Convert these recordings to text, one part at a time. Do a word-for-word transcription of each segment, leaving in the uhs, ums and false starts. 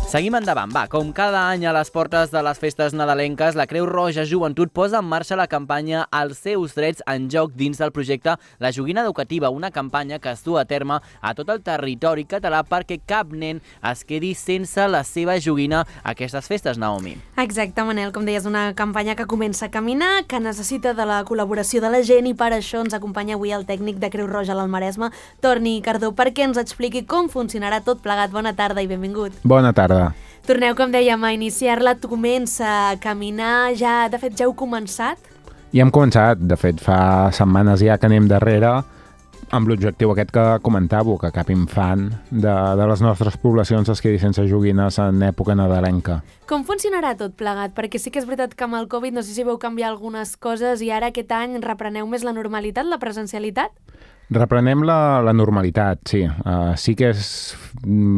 Seguim endavant, va. Com cada any a les portes de les festes nadalenques, la Creu Roja Joventut posa en marxa la campanya Els seus drets en joc dins del projecte La Joguina Educativa, una campanya que es du a terme a tot el territori català perquè cap nen es quedi sense la seva joguina a aquestes festes, Naomi. Exacte, Manel, com deies, una campanya que comença a caminar, que necessita de la col·laboració de la gent i per això ens acompanya avui el tècnic de Creu Roja a l'Almaresme, Torni Cardó, perquè ens expliqui com funcionarà tot plegat. Bona tarda i benvingut. Bona tarda. Torneu, com dèiem, a iniciar-la, comença a caminar, ja, de fet, ja heu començat? Ja hem començat, de fet, fa setmanes ja que anem darrere amb l'objectiu aquest que comentàveu, que cap infant de, de les nostres poblacions es quedi sense joguines en època nadalenca. Com funcionarà tot plegat? Perquè sí que és veritat que amb el Covid no sé si veu canviar algunes coses i ara aquest any repreneu més la normalitat, la presencialitat? Reprenem la, la normalitat, sí. Uh, sí que és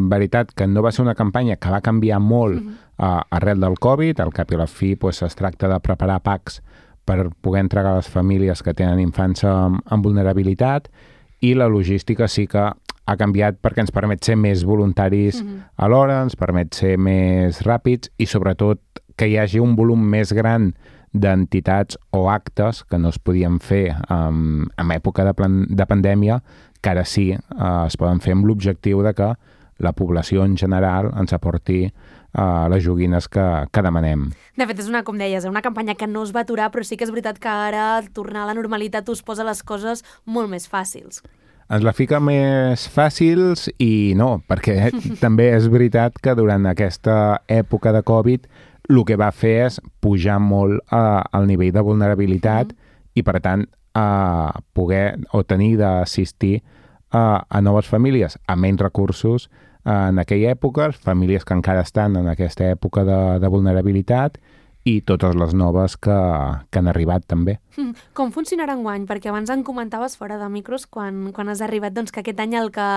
veritat que no va ser una campanya que va canviar molt uh, arrel del Covid. Al cap i a la fi pues, es tracta de preparar packs per poder entregar a les famílies que tenen infants amb, amb vulnerabilitat, i la logística sí que ha canviat perquè ens permet ser més voluntaris mm-hmm. alhora, ens permet ser més ràpids i sobretot que hi hagi un volum més gran d'entitats o actes que no es podien fer um, en època de, plan, de pandèmia, que ara sí uh, es poden fer amb l'objectiu de que la població en general ens aporti uh, les joguines que, que demanem. De fet, és una, com deies, una campanya que no es va aturar, però sí que és veritat que ara tornar a la normalitat us posa les coses molt més fàcils. Ens la fica més fàcils i no, perquè també és veritat que durant aquesta època de Covid el que va fer és pujar molt uh, el nivell de vulnerabilitat mm-hmm. i, per tant, uh, poder o tenir d'assistir uh, a noves famílies amb menys recursos uh, en aquella època, famílies que encara estan en aquesta època de, de vulnerabilitat i totes les noves que, que han arribat també. Mm. Com funcionarà enguany? Perquè abans en comentaves fora de micros quan, quan has arribat doncs, que aquest any el que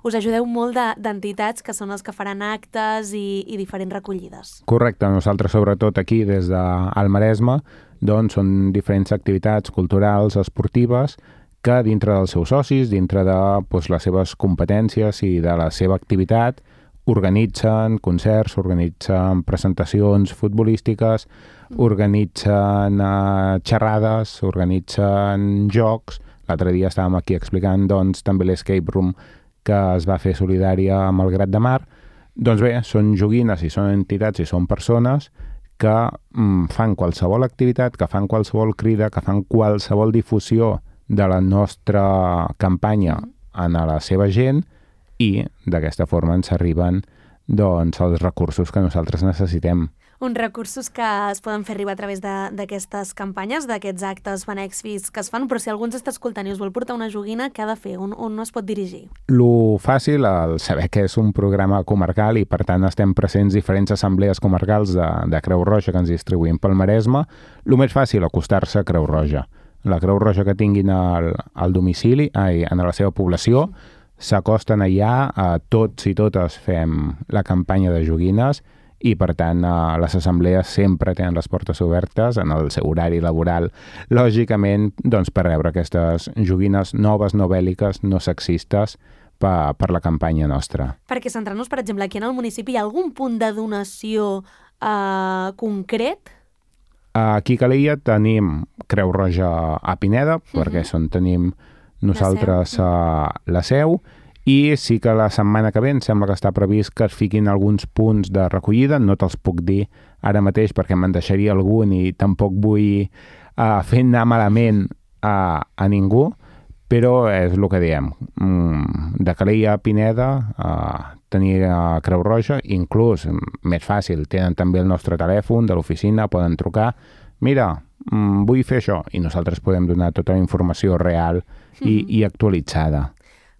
us ajudeu molt de, d'entitats que són els que faran actes i, i diferents recollides. Correcte, nosaltres sobretot aquí des del Maresme doncs, són diferents activitats culturals, esportives, que dintre dels seus socis, dintre de doncs, les seves competències i de la seva activitat, organitzen concerts, organitzen presentacions futbolístiques, organitzen uh, xerrades, organitzen jocs. L'altre dia estàvem aquí explicant doncs, també l'escape room que es va fer solidària amb el Grat de Mar. Doncs bé, són joguines i són entitats i són persones que mm, fan qualsevol activitat, que fan qualsevol crida, que fan qualsevol difusió de la nostra campanya en la seva gent, i d'aquesta forma ens arriben doncs, els recursos que nosaltres necessitem. Uns recursos que es poden fer arribar a través de, d'aquestes campanyes, d'aquests actes benèfics que es fan, però si algú ens està escoltant i us vol portar una joguina, què ha de fer? On, on es pot dirigir? Lo fàcil, el saber que és un programa comarcal i per tant estem presents diferents assemblees comarcals de, de Creu Roja que ens distribuïm pel Maresme, el més fàcil, acostar-se a Creu Roja. La Creu Roja que tinguin al, al domicili, ai, en la seva població, s'acosten allà, a tots i totes fem la campanya de joguines i, per tant, les assemblees sempre tenen les portes obertes en el seu horari laboral, lògicament, doncs, per rebre aquestes joguines noves, no bèl·liques, no sexistes, per, per la campanya nostra. Perquè centrant-nos, per exemple, aquí en el municipi, hi ha algun punt de donació eh, concret? Aquí a Calella tenim Creu Roja a Pineda, uh-huh. perquè és on tenim nosaltres la seu. Uh, la seu, i sí que la setmana que ve em sembla que està previst que es fiquin alguns punts de recollida, no te'ls puc dir ara mateix perquè me'n deixaria algun i tampoc vull uh, fer anar malament a, a ningú, però és el que diem. Mm, de Calella a Pineda uh, tenir uh, Creu Roja, inclús més fàcil, tenen també el nostre telèfon de l'oficina, poden trucar, mira, mm, vull fer això, i nosaltres podem donar tota la informació real i, i actualitzada.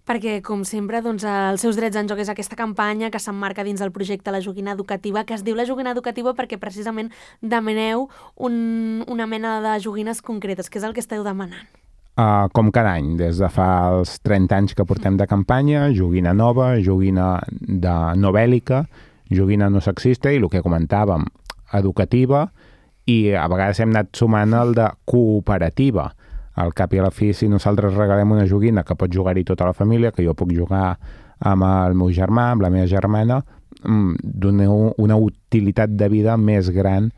Perquè, com sempre, doncs, els seus drets en joc és aquesta campanya que s'emmarca dins del projecte La Joguina Educativa, que es diu La Joguina Educativa perquè precisament demaneu un, una mena de joguines concretes, que és el que esteu demanant. Uh, com cada any, des de fa els trenta anys que portem de campanya, joguina nova, joguina de no bèl·lica, joguina no sexista i el que comentàvem, educativa, i a vegades hem anat sumant el de cooperativa. Al cap i a la fi, si nosaltres regalem una joguina que pot jugar-hi tota la família, que jo puc jugar amb el meu germà, amb la meva germana, donar una utilitat de vida més gran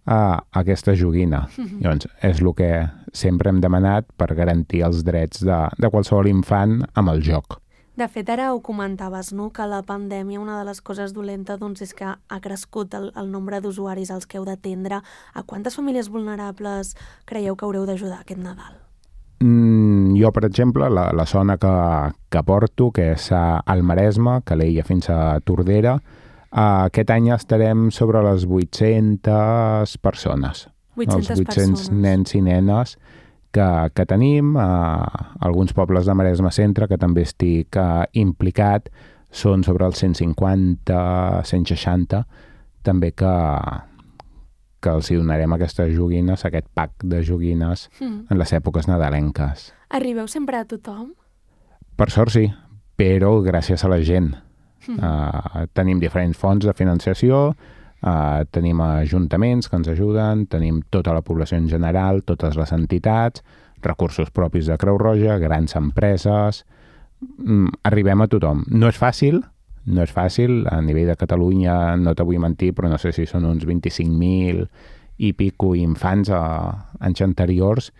a aquesta joguina. Mm-hmm. Llavors, és el que sempre hem demanat per garantir els drets de, de qualsevol infant amb el joc. De fet, ara ho comentaves, no?, que la pandèmia, una de les coses dolentes, doncs, és que ha crescut el, el nombre d'usuaris als que heu d'atendre. A quantes famílies vulnerables creieu que haureu d'ajudar aquest Nadal? Mm, jo, per exemple, la, la zona que, que porto, que és al Maresme, Calella fins a Tordera, uh, aquest any estarem sobre les vuit-centes persones. vuit-centes Els vuit-cents persones. Nens i nenes que, que tenim. Uh, alguns pobles de Maresme Centre, que també estic uh, implicat, són sobre els cent cinquanta, cent seixanta, també que... que els hi donarem aquestes joguines, aquest pack de joguines mm. en les èpoques nadalenques. Arribeu sempre a tothom? Per sort sí, però gràcies a la gent. Mm. Uh, tenim diferents fonts de financiació, uh, tenim ajuntaments que ens ajuden, tenim tota la població en general, totes les entitats, recursos propis de Creu Roja, grans empreses... Mm, arribem a tothom. No és fàcil, No és fàcil, a nivell de Catalunya no te vull mentir, però no sé si són uns vint-i-cinc mil i pico infants a anys anteriors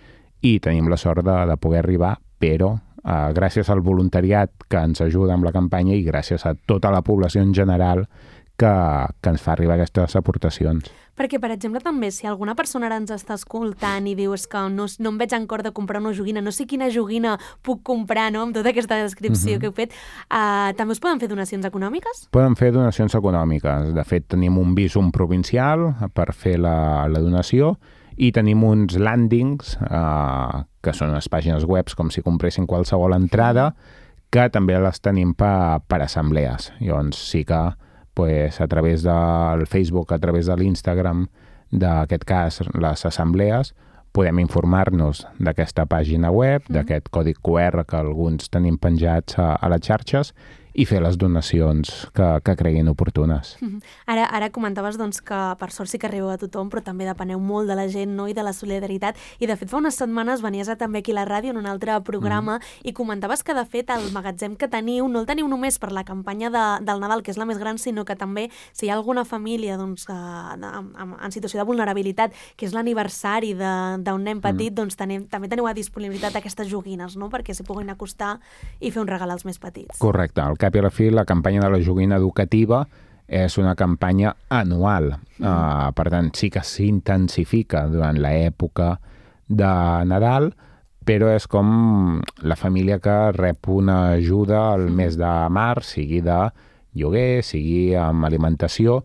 i tenim la sort de, de poder arribar, però eh, gràcies al voluntariat que ens ajuda amb la campanya i gràcies a tota la població en general que, que ens fa arribar aquestes aportacions. Perquè, per exemple, també, si alguna persona ara ens està escoltant i diu és que no, no em veig en cor de comprar una joguina, no sé quina joguina puc comprar, no?, amb tota aquesta descripció uh-huh. que heu fet, uh, també us poden fer donacions econòmiques? Poden fer donacions econòmiques. De fet, tenim un visum provincial per fer la, la donació i tenim uns landings, uh, que són unes pàgines web com si compressin qualsevol entrada, que també les tenim per, per assemblees. Llavors sí que pues, a través del Facebook, a través de l'Instagram, d'aquest cas, les assemblees, podem informar-nos d'aquesta pàgina web, mm. d'aquest codi Q R que alguns tenim penjats a, a les xarxes i fer les donacions que, que creguin oportunes. Mm-hmm. Ara, ara comentaves doncs, que per sort sí que arribeu a tothom, però també depeneu molt de la gent, no?, i de la solidaritat. I de fet fa unes setmanes venies a, també aquí a la ràdio en un altre programa mm. i comentaves que de fet el magatzem que teniu no el teniu només per la campanya de, del Nadal, que és la més gran, sinó que també si hi ha alguna família doncs, que, en, en situació de vulnerabilitat, que és l'aniversari d'un nen petit, mm. doncs tenim, també teniu a disponibilitat aquestes joguines, no?, perquè s'hi puguin acostar i fer un regal als més petits. Correcte. Al cap i a la fi, la campanya de la joguina educativa és una campanya anual. Mm. Uh, per tant, sí que s'intensifica durant l'època de Nadal, però és com la família que rep una ajuda al mm. mes de març, sigui de lloguer, sigui amb alimentació.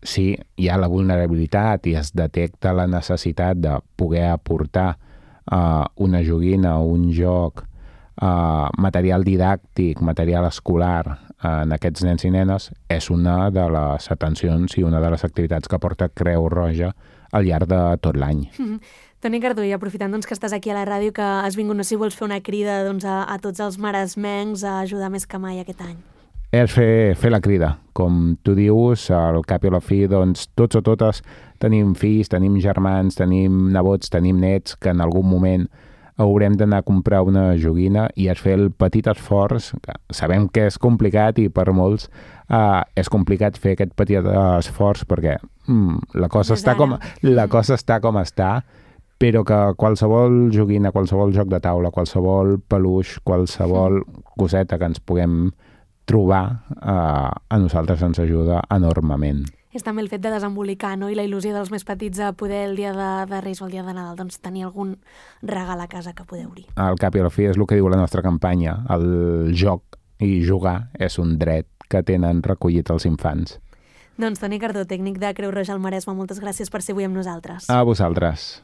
Si hi ha la vulnerabilitat i es detecta la necessitat de poder aportar uh, una joguina o un joc, Uh, material didàctic, material escolar uh, en aquests nens i nenes, és una de les atencions i una de les activitats que porta Creu Roja al llarg de tot l'any. Mm-hmm. Toni Cardó, i aprofitant doncs, que estàs aquí a la ràdio, que has vingut, no sé si vols fer una crida doncs, a, a tots els maresmencs a ajudar més que mai aquest any. És fer, fer la crida. Com tu dius, al cap i a la fi, doncs, tots o totes tenim fills, tenim germans, tenim nebots, tenim nets que en algun moment haurem d'anar a comprar una joguina i és fer el petit esforç, que sabem que és complicat i per molts uh, és complicat fer aquest petit esforç perquè mm, la, cosa està com, la cosa està com està, però que qualsevol joguina, qualsevol joc de taula, qualsevol peluix, qualsevol coseta que ens puguem trobar, uh, a nosaltres ens ajuda enormement. És també el fet de desembolicar, no?, i la il·lusió dels més petits a poder el dia de, de Reis o el dia de Nadal doncs, tenir algun regal a casa que podeu obrir. Al cap i a la fi és el que diu la nostra campanya. El joc i jugar és un dret que tenen recollit els infants. Doncs Toni Cardó, tècnic de Creu Roja al Maresme, moltes gràcies per ser avui amb nosaltres. A vosaltres.